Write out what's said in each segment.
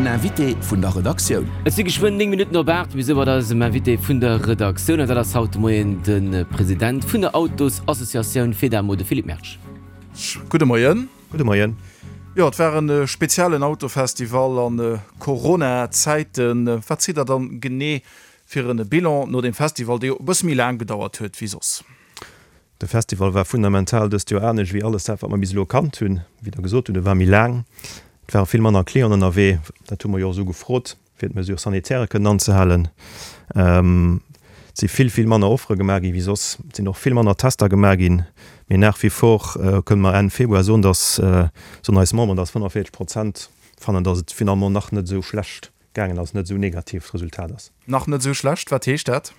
Invité vun der Redaktioun. Et si geschwënn 9 Minutten op 8. Mir si mat eisem Invité vun der Redaktioun an dat ass haut de Moien de President vun der Autosassociatioun Fedamo, de Philippe Mersch. Gudde Moien. Gudde Moien. Jo, et war e speziellen Autofestival a Corona-Zäiten. Wat zitt der dann genee fir e Bilan no deem Festival, dee jo e bësse méi laang gedauert huet wéi soss? De Festival war fundamental dëst Joer anescht wéi alles dat, wat mer bis elo kannt hunn. Wéi Der gesot hutt, e war méi laang, et ware vill manner Clienten ënnerwee. Dat hu mer jo och esou gefrot, fir d'Mesures sanitaires kënnen anzehalen. Et si vill, vill manner Offere gemaach gi wéi soss. Et sinn och vill manner Tester gemaach ginn. Mee nach wie vor kënne mer Enn Februar soen, dass, soen eis Memberen, dass 45 Prozent fannen, dass et finalement nach net esou schlecht gaangen ass, net esou negativ d'Resultat ass. Nach net esou schlecht, wat heescht dat?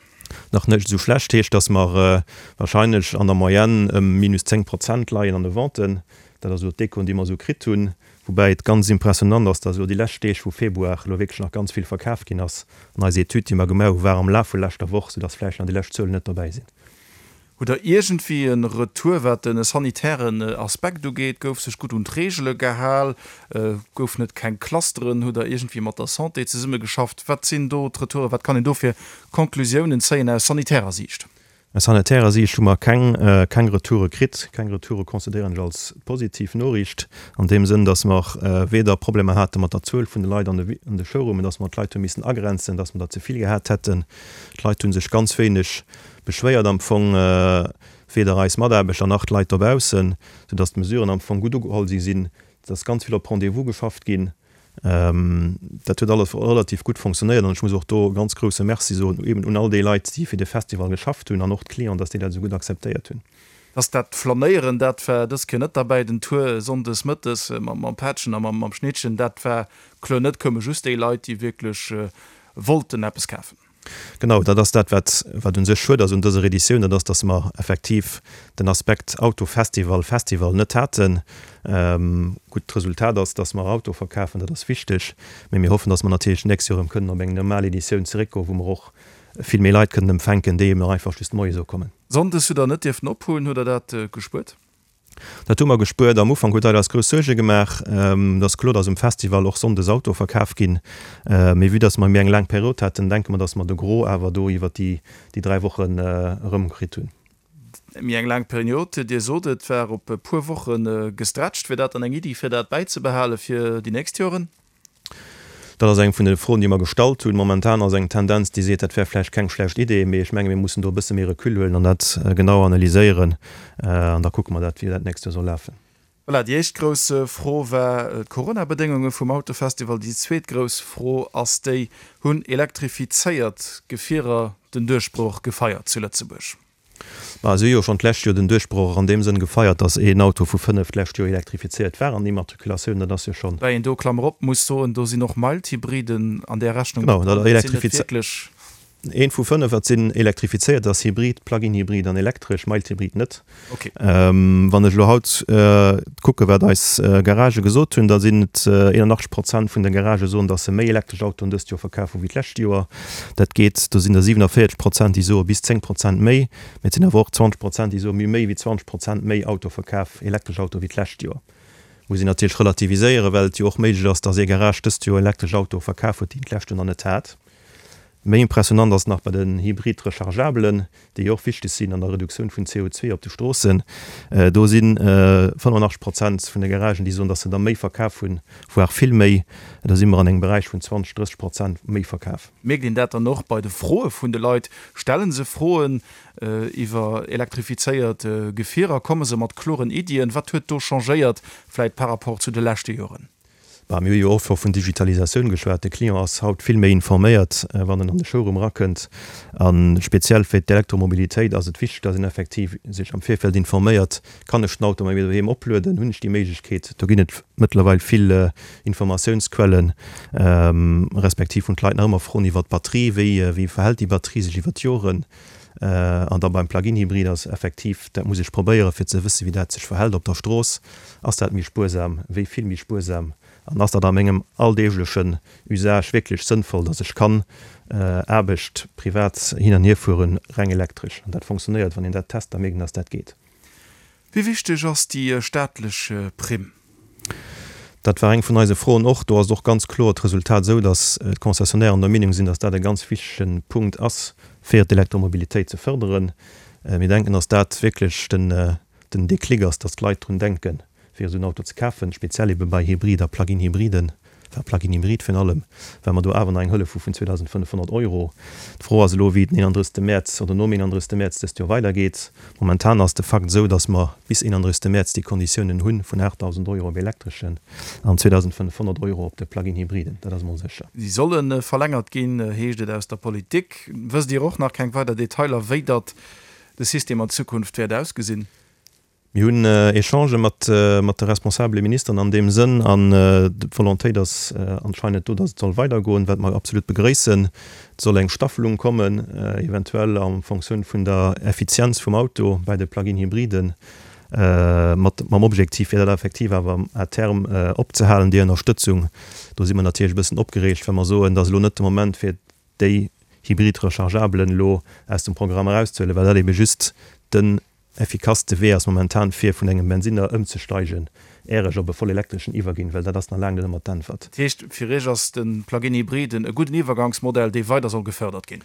Nach net esou schlecht heescht, datt mer wahrscheinlech an der Moyenne ëm minus 10 Prozent leien an de Venten. Dat ass elo d'Echoen, déi mer esou kritt hunn. Woubäi et ganz impressionant ass, datt elo déi lescht Deeg vu Februar elo wierklech nach ganz vill verkaf ginn ass. An eis Etüd, déi mer gemaach hu war am Laf vu leschter Woch, soudatt vläicht nach déi lescht Zuelen net dobäi sinn. Hutt der iergendwéi e Retour wat de sanitären Aspekt ugeet? Gouf sech gutt un d'Reegele gehal? Goufen et keng Clusteren? Hutt der iergendwéi mat der Santé zesummegeschafft? Wat sinn do d'Retouren? Wat kann een do fir Conclusiounen zéien aus sanitärer Siicht? Aus sanitärer Siicht hu mer keng keng Retoure kritt. Keng Retoure consideréieren ech als positiv Noriicht an deem Sënn, datt mer weder Problemer hate mat der Zuel vun de Leit an de an de Showroomen, datt mer d'Leit hu missen agrenzen, datt mer der ze vill gehat hätten. D'Leit hu sech ganz wéineg beschwéiert am Fong weder eis Mataarbechter nach d'Leit dobaussen, soudass d'Mesuren am Fong gutt ugeholl si sinn. Et ass ganz vill op Rendez-vous geschafft ginn. Dat huet alles relativ gutt fonctionnéiert an ech muss och do e ganz grousse Merci soen eben un all déi Leit, déi fir de Festival geschafft hunn an och d'Clienten, dass déi dat esou gutt akzeptéiert hunn. Dass dat Flanéieren, dat war dës Kéier net derbäi. Den Tour sonndes mëttes mam Pättchen a mam Schnittchen, dat war kloer net. Koume just déi Leit, déi wierklech wollten eppes kafen. Genau, dat ass dat, wat, wat u sech schued ass un dëser Editioun, dat ass, dass mer effektiv den Aspekt Autofestival, Festival net haten. Gutt, d'Resultat ass, dass mer Auto verkafen, dat ass wichteg, mee mir hoffen, dass mer natierlech d'nächst Joer erëm kënnen op eng normal Editioun zeréckgoen, wou mer och vill méi Leit kënnen empfänken, déi eben och einfach just moies ukommen. Sonndes hutt Der net dierften ophunn. Hutt Der dat gespuert? Dat hu mer gespuert. Am Ufank huet dat eis grouss Suerge gemaach. Et ass kloer, dass um Festival och sonndes Autoe verkaf ginn. Mee vue dass mer méi eng laang Period haten, denke mer, dass mer de Gros awer do iwwer déi 3 Wochen erëmkritt hunn. Méi eng laang Period, Dir sot et war op e puer Woche gestretcht. Wier dat dann eng Iddi, fir dat bäizebehale fir déi nächst Joren? Dat ass eng vun de Froen, déi mer gestallt hunn. Momentan ass eng Tendenz, déi seet, dat wär vläicht keng schlecht Idee, mee ech menge mir mussen do e bësse méi Recul huelen an dat genau analyséieren an da kucke mer dat, wéi dat d'nächst Joer soll lafen. Voilà, déi éischt grouss Fro war d'Corona-Bedéngunge vum Autofestival. Déi zweet grouss Fro ass déi, Hunn elektrifizéiert Gefierer den Duerchbroch gefeiert zu Lëtzebuerg? Ma si hu jo schonn d'lescht Joer den Duerchbroch an deem Sënn gefeiert, datt een Auto vu 5 d'lescht Joer elektrifizéiert war an der Immatrikulatioun. Dat ass jo schonn. Woubäi een do, Klammer op, muss soen, do sinn och Mild-Hybriden an där Rechnung mat dran. Dat sinn net wierklech. Een vu 5, wat sinn elektrifizéiert, ass Hybrid, Plug-in-Hybrid an elektresch, Mild-Hybrid net. Wann ech elo haut kucke wat eis Garagë gesot hunn, da sinn et 81 Prozent vun de Garagë soen, datt se méi elektresch Autoen dëst Joer verkaf hu wéi d'lescht Joer. Dat geet, do sinn der 47 Prozent déi soe bis 10 Prozent méi, mee et sinn awer och 20 Prozent déi soe mir hu méi wéi 20 Prozent méi Auto verkaf, elektresch Autoe wéi d'lescht Joer. Muss een natierlech relativiséieren, well et jo och méiglech ass, datt ee Garage dëst Joer elektresch Autoe verkaf huet, déi en d'lescht Joer nach net hat. Méi impressionant ass nach bei den Hybrid-Rechargeabelen, déi jo och wichteg sinn an der Reduktioun vun CO2 op de Stroossen. Do si 85 Prozent vun de Garagen, déi soen, datt se der méi verkaf hunn, voire vill méi. Do si mer an engem Beräich vun 20, 30 Prozent méi verkaf. Mierkt een dat dann och bei de Froe vun de Leit? Stelle se Froen iwwer elektrifizéiert Gefierer? Komme se mat kloren Iddien? Wat huet do changéiert vläit par rapport zu de leschte Joren? Bah, mir hu jo och scho vun Digitalisatioun geschwat. De Client ass haut vill méi informéiert, wann en an de Showroom erakënnt. A speziell fir d'Elektromobilitéit ass et wichteg, dass een effektiv sech am Virfeld informéiert, Kann ech den Auto bei mir doheem oplueden? Hunn ech déi Méiglechkeet? Do ginn et mëttlerweil vill Informatiounsquellen, respektiv hunn d'Leit nach ëmmer Froen iwwer d'Batterie, Wéi, wéi verhält déi Batterie sech iwwer d'Joren? An da beim Plug-in-Hybrid ass effektiv, dat muss ech probéieren, fir ze wëssen, wéi dat sech verhält op der Strooss. Ass dat méi spuersam? Wéi vill méi spuersam? An ass dat a mengem alldeeglechen Usage wierklech sënnvoll, dass ech kann Aarbecht, privat hin an hier fueren, reng elektresch? An dat fonctionnéiert, wann een dat test, da mierkt een, dass dat geet. Wéi wichteg ass déi staatlech Primm? Dat war eng vun eise Froen och. Do ass et och ganz kloer d'Resultat esou, datt d'Concessionnaires der Meenung sinn, datt dat e ganz wichtege Punkt ass, fir d'Elektromobilitéit ze fërderen. Mir denken, datt dat wierklech den Déclic ass, datt d'Leit drun denken, fir esou en Auto ze kafen, speziell ebe bei Hybrid a Plug-in-Hybriden, enfin Plug-in-Hybrid virun allem, well mer do awer nach eng Hëllef hu vun 2.500 Euro. D'Fro ass elo, wéi et den 31. Mäerz oder nom 31. Mäerz dëst Joer weidergeet. Momentan ass de Fakt esou, datt mer bis 31. Mäerz déi Konditiounen hu vun 8.000 Euro op elektreschen an 2.500 Euro op de Plug-in-Hybriden. Dat ass emol sécher. Si solle verlängert ginn, heescht et aus der Politik. Wësst Dir och nach keng weider Detailer, wéi datt de System an Zukunft wäert ausgesinn? Mir hunn Echangë mat de responsabele Ministeren an deem Sënn an d'Volontéit ass anscheinend do, datt et soll weidergoen, wat mer absolut begrëissen. Et soll eng Staffelung kommen, eventuell en Fonctioun vun der Effizienz vum Auto bei de Plug-in-Hybriden, mat mam Objektiv, fir dat effektiv awer à terme opzehalen, déi Ënnerstëtzung. Do si mer natierlech e bëssen opgereegt, well mer soen, et ass elo net de Moment, fir déi Hybrid-Rechargeablen elo aus dem Programm erauszehuelen, well dat ebe just den effikasste Wee ass momentan fir vun engem Bensinner ëmzesteigen, är ech op e vollelektreschen iwwerginn, well dat ass nach laang net ëmmer d'Äntwert. Dat heescht, fir Iech ass de Plug-in Hybride e gudden Iwwergangsmodell, dee weider soll gefërdert ginn?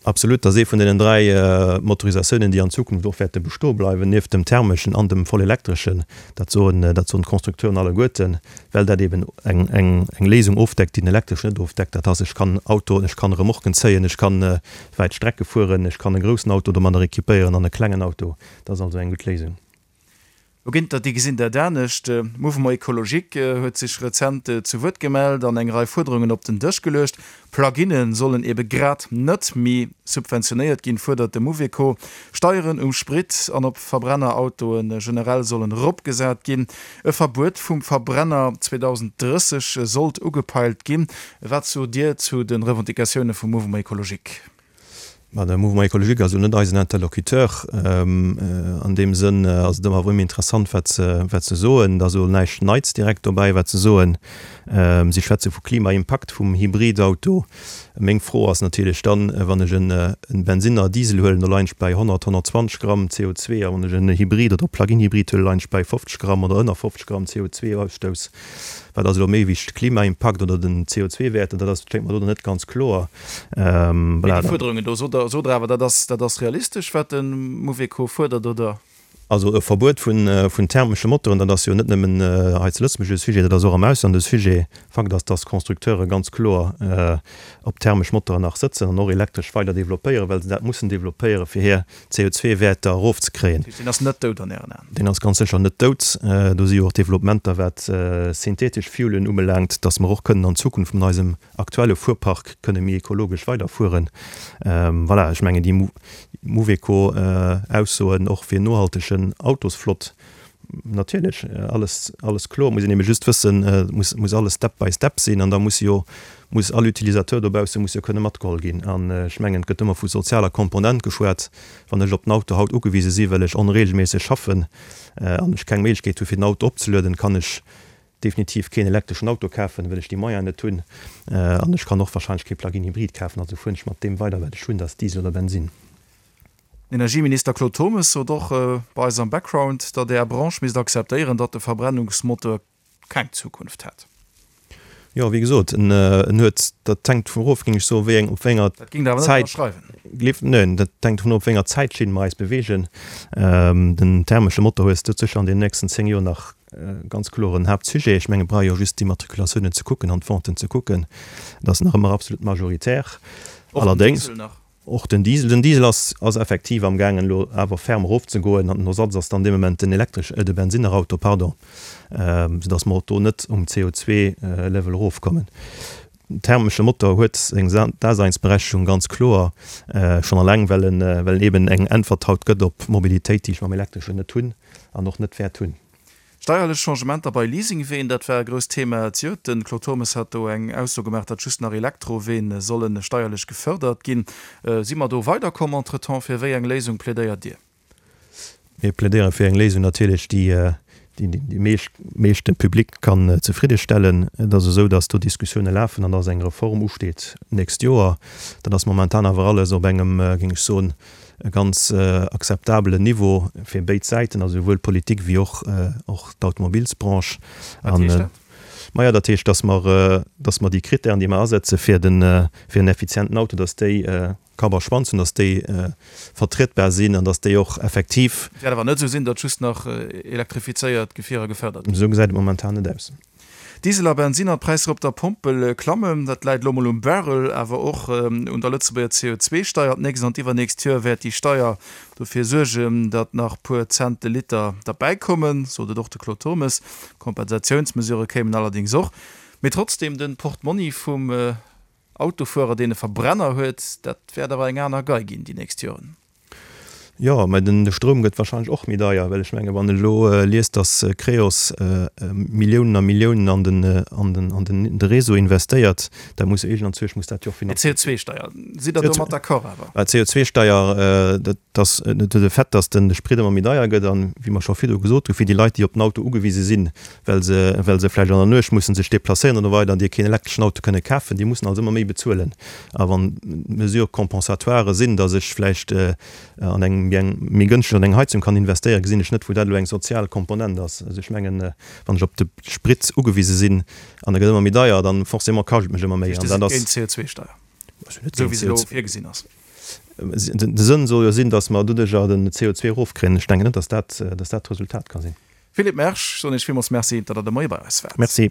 Absolut, dat ass ee vun deenen 3 Motorisatiounen, déi an Zukunft och wäerte bestoe bleiwen, nieft dem thermeschen an dem vollelektreschen. Dat soen, dat soen d'Constructeuren alleguerten, well dat eben eng, eng, eng Léisung ofdeckt, déi den elektreschen net ofdeckt. Dat ass, ech kann Autoen, ech kann Remorquen zéien, ech kann wäit Strecke fueren, ech kann e groussen Auto domadder équipéieren an e klengen Auto. Dat ass also eng gutt Léisung. Lo ginn der, déi gesinn dat anescht. Mouvement Ecologique huet sech rezent zu Wuert gemellt an eng Rei Fuerderungen op den Dësch geluecht. Plug-inne sollen ebe grad net méi subventionéiert ginn, fuerdert de Mouveco. Steieren um Sprit an op Verbrennerautoe generell sollen eropgesat ginn. E Verbuet vum Verbrenner 2030 sollt ugepeilt ginn. Wat sot Dir zu de Revendicatioune vum Mouvement Ecologique? Ma de Mouvement Ecologique ass elo net eisen Interlocuteur. An deem Sënn ass et ëmmer erëm interessant, wat se, wat se soen. Et ass elo näischt Neits direkt dobäi, wat se soen. Si schwätze vu Klimaimpakt vum Hybridauto. Meng Fro ass natierlech dann, wann ech en Bensinner, Diesel huelen, do leien ech bäi 100, 120 Gramm CO2, a wann ech en Hybrid oder Plug-in-Hybrid huelen, leien ech bäi 50 Gramm oder ënner 50 Gramm CO2-Ausstouss. Wat ass elo méi wichteg, Klimaimpakt oder den CO2-Wäert? Dat ass, schéngt mer do net ganz kloer. Mee déi Fuerderungen do, sot Der, sot Der awer, dat ass, dat ass realistesch, wat de Mouveco fuerdert, oder? Also e Verbuet vun, vun thermesche Motoren, dat ass jo net nëmmen hei zu Lëtzebuerg e Sujet, dat ass och am Ausland e Sujet. Fakt ass, dass d'Constructeure ganz kloer op thermesch Motoren nach sëtzen an och elektresch weider developpéieren, well se dat mussen developpéieren, fir hir CO2-Wäerter erofzekréien. Dat heescht, deen ass net dout an Ären Aen? Deen ass ganz sécher net dout. Do si jo och Developpementer, wat synthetesch Fuelen ubelaangt, dass mer och kënnen an Zukunft mat eisem aktuelle Fuerpark kënne méi ekologesch weiderfueren. Voilà, ech mengen, déi Mouveco-Aussoen och fir nohaltegen Autosflott, Natierlech, alles, alles kloer. Et muss een ebe just wëssen, et muss, muss alles step by step sinn an da muss jo, muss all Utilisateur dobausse muss jo kënne matgeholl ginn. An ech mengen, et gëtt ëmmer vu sozialer Komponent geschwat. Wann ech op den Auto haut ugewise si well ech onregelméisseg schaffen an ech keng Méiglechkeet hu fir den Auto opzelueden, kann ech definitiv keen elektreschen Auto kafen, well ech déi Moyenen net hunn. An ech kann och wahrscheinlech kee Plug-in-Hybrid kafen. Also fueren ech mat deem weider wat ech hunn, dat ass Diesel oder Bensinn. Den Energieminister Claude Turmes sot och bei eis am Background, datt Är Branche misst akzeptéieren, datt de Verbrennungsmotor keng Zukunft hätt. Jo, wéi gesot, en huet, dat hänkt dovun of, géing ech soen, wéi eng, op wéi enger Dat géingt Der awer net Zäit, ënnerschreiwen. Neen, dat hänkt dovun of, op wéi enger Zäitschinn mer eis beweegen. Den thermesche Motor hues du sécher an den nächsten 10 Joer nach ganz kloer en Haaptsujet. Ech menge brauch jo just d'Immatriculatiounen ze kucken an d'Venten ze kucken. Dat ass nach ëmmer absolut majoritär. Och den Allerdéngs. Diesel nach. Och den Diesel. Den Diesel ass ass effektiv am gaangen elo awer ferm erofzegoen an den Ersatz ass dann dee Moment den elektresch, de Bensinnerauto, pardon, soudass mer och do net um CO2-Level erofkommen. Den thermesche Motor huet seng Daseinsberechtigung ganz kloer, schonn alleng well en well en eben eng Äntwert haut gëtt op Mobilitéit, déi ech mam elektreschen net hunn an och net wäert hunn. Steierlech Changementer bei Leasingween, dat war e grousst Thema zejoert. De Claude Turmes hat do eng Ausso gemaach, datt just nach Elektroween solle steierlech gefërdert ginn. Si mer do weiderkomm entretemps? Fir wéi eng Léisung plädéiert Dir? Mir plädéiere fir eng Léisung natierlech, déi déi meeschte Public kann zefriddestellen. Et ass esou, datt do Diskussioune lafen an datt eng Reform usteet d'nächst Joer. Dat ass momentan awer alles op engem, géing ech soen, e ganz akzeptabelen Niveau fir béid Säiten, also souwuel d'Politik wéi och och d'Automobilsbranche. Wat heescht dat? Maja, dat heescht, dass mer, dass mer déi Krittären, déi mer asetze fir den, fir en effizienten Auto, dass déi Kapp a Schwanz hunn, dass déi vertrietbar sinn an dass déi och effektiv. Et wäert awer net esou sinn, datt just nach elektrifizéiert Gefierer gefërdert ginn. Esou gesäit et momentan net aus. Diesel a Bensinner, d'Präisser op der Pompel klammen. Dat läit elo mol um Barrel, awer och un der Lëtzebuerger CO2-Steier. D'nächst an d'iwwernächst Joer wäert déi Steier dofir suergen, datt nach puer Cent de Liter derbäikommen, sot et och de Claude Turmes. Kompensatiounsmesurë kéimen allerdéngs och. Mee trotzdeem, de Portmonni vum Autofuerer, deen e Verbrenner huet, dat wäert awer eng aner Gei ginn déi nächst Joren. Jo, mä den Stroum gëtt wahrscheinlech och méi deier, well ech menge wann ech elo liest, datt Creos Milliounen a Milliounen an den an den an den de Réseau investéiert, da muss jo iergendanzwousch muss dat jo och finanziert ginn. D'CO2-Steier, sidd Der domat d'accord awer? D'CO2-Steier, dat ass de Fait, datt de Sprit ëmmer méi deier gëtt an, wéi mer scho virdu gesot hunn, fir déi Leit, déi op den Auto ugewise sinn, well se well se vläicht an der Nuecht mussen sech déplacéieren oder weider an déi keen elektreschen Auto kënne kafen, déi mussen also ëmmer méi bezuelen. A wann d'Mesures compensatoires sinn, datt ech vläicht an eng méi eng méi gënschteg an eng Heizung kann investéieren, gesinn ech net, wou dat elo eng sozial Komponent ass. Also ech mengen, wann ech op de Sprit ugewise sinn an e gëtt ëmmer méi deier, dann forcément kascht et mech ëmmer méi. An dat ass. Géint d'CO2-Steier, esou wéi se elo virgesinn ass. De Sënn soll jo sinn, datt mer doduercher den CO2 erofkréien. Ech denken net, datt dat, datt dat d'Resultat ka sinn. Philippe Mersch, soen Iech villmools Merci, datt Der de Moie bei eis waart. Merci.